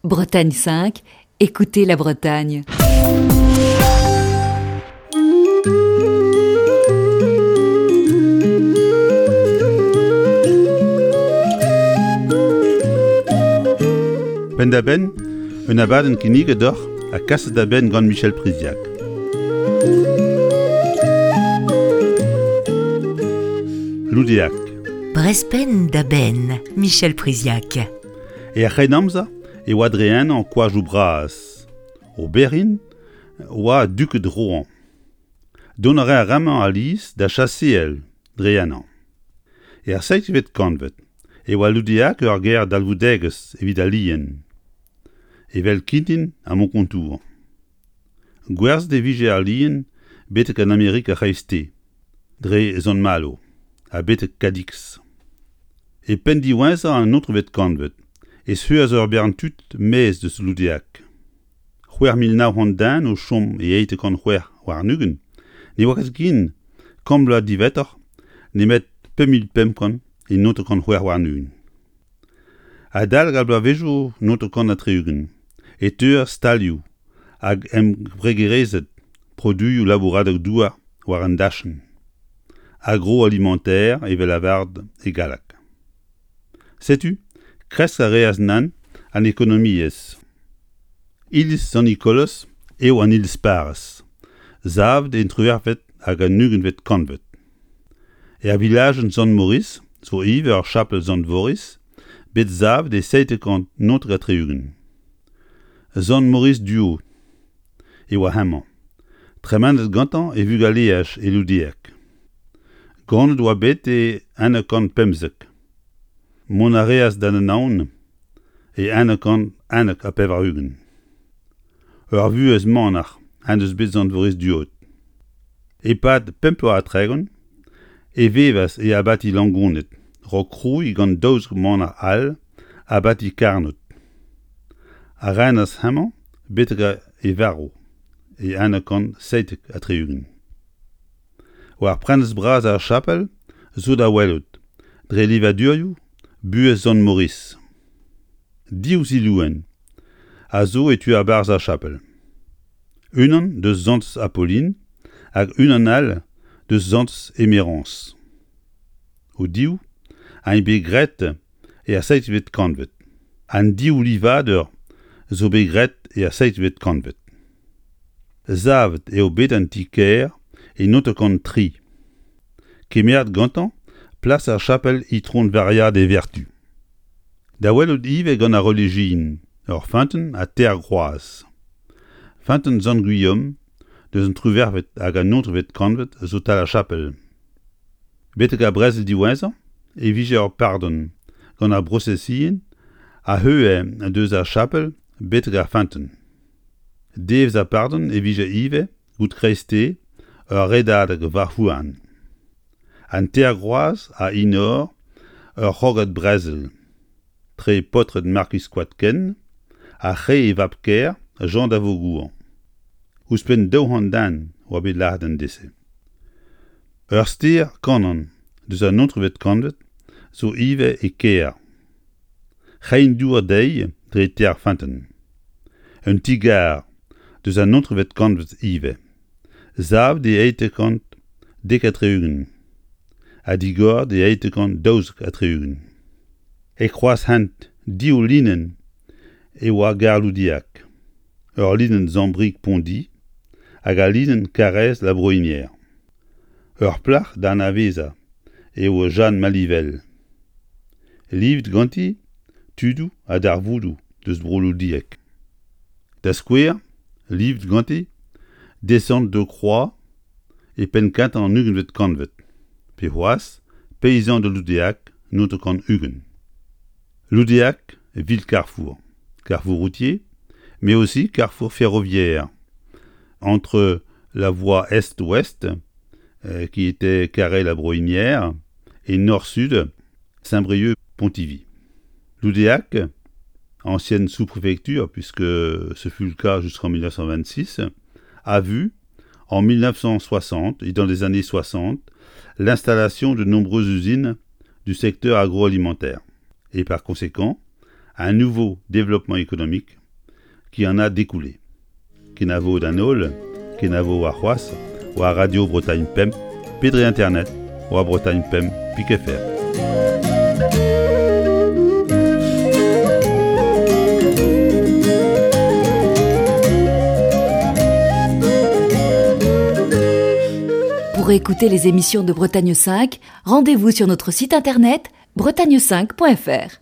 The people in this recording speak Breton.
Bretagne 5, écoutez la Bretagne. Penn-da-benn, un abadenn kinniget deoc'h ha kaset da benn gant Michel Priziac. Loudeac. Brest penn da benn, Michel Priziac. Er C'hrennamzer e oa dre ennañ koajoù bras. Oberin oa duked Rohan. Dont a rae ar re-mañ alies da chaseal dre ennañ. Er seizhvet kantved e oa Loudeac ur gêr dalvoudegezh evit al lien, evel Kintin ha Monkontour. Gwerzhet e vije al lien betek an Amerik ar C'hreisteiz, dre Sant-Malo, ha betek Cadix. E penn diwezhañ an naontekvet kantved e teuas ur bern tud maez deus Loudeac. 6900 den o chom e 826 ne oa ket ken kant bloaz diwezhatoc'h nemet 5500 e 1926. Adalek ar bloavezhioù 1960 e teuas stalioù hag embregerezed produioù labouradeg-douar war an dachenn, agroalimentaire evel lavaret e galleg. Setu, kresk a reas nann an ekonomiezh. Iliz Sant-Nikolaz eo an iliz parrez, savet en triwec'hvet hag an ugentvet kantved. Er vilajenn Sant-Maurice zo ivez ur chapel Sant-Voris bet savet e 1779. Sant Maurice Duo e oa hemañ, tremenet gantañ e vugaleaj e Loudieg. Ganet oa bet e 1915. Mont a reas d'an Anaon e 1991. Ur vuhez manac'h en deus bet Sant Maurice Duod. E-pad pemp bloaz ha 30 e vevas e abati Langoned, 'raok krouiñ gant 12 manac'h all abati Karnod, a renas hemañ betek e varv e 1977. War prenestr bras ar chapel zo da welout, dre livadurioù, buhez Sant Maurice. Div zilouenn a zo e tu a-barzh ar chapel. Unan deus Santez Apolline hag unan all deus Santez Emerance. O-div int bet graet er seizhvet kantved. An div livadur zo bet graet er seizhvet kantved. Savet eo bet an ti-kêr e 1903. Kemeret gantañ plas ar chapel Itron Varia de Vertu. Da welout ivez gant ar relijion, ur feunteun ha teir groaz. Feunteun Sant-Gwilhom deus an triwec'hvet hag an naontekvet kantved zo 'tal ar chapel. Betek ar brezel diwezhañ e vije ur pardon gant ar brosesion a heue deus ar chapel betek ar feunteun. Devezh ar pardon e vije ivez goude kreisteiz ur redadeg war-houarn. An teir groaz a enor ur c'hrogad brezel tre paotred Markiz Koadken ha re e vab-kaer Jean d'Avaugour. Ouzhpenn 200 den oa bet lazhet an deiz-se. Ur stêr Kanan deus an naontekvet kantved zo ivez e kêr. Reiñ dour dezhi dre teir feunteun. Un ti-gar deus an naontekvet kantved ivez, savet e 1870 ha digoret e 1872. E kroaz-hent div linenn e oa gar Loudieg. Ur linenn Zambrieg-Pondi hag al linenn Karaez-La Breuinière. Ur plac'h da anavezañ eo Jeanne Malivel. Livet ganti tudoù ha darvoudoù deus bro Loudieg. Da skouer, livet ganti Descente de Croix e penn-kentañ an ugentvet kantved, pe c'hoazh Paysan de Loudéac 1920. Loudéac, ville carrefour, carrefour routier, mais aussi carrefour ferroviaire, entre la voie est-ouest, euh, qui était Carhaix-la-Breuinière, et nord-sud, Saint-Brieuc-Pontivy. Loudéac, ancienne sous-préfecture, puisque ce fut le cas jusqu'en 1926, a vu, en 1960 et dans les années 60, l'installation de nombreuses usines du secteur agroalimentaire et par conséquent Un nouveau développement économique qui en a découlé. Kenavo d'an holl, kenavo warc'hoazh war Radio Bretagne Pemp pe dre internet war Bretagne Pemp pik FR. Pour écouter les émissions de Bretagne 5, rendez-vous sur notre site internet bretagne5.fr.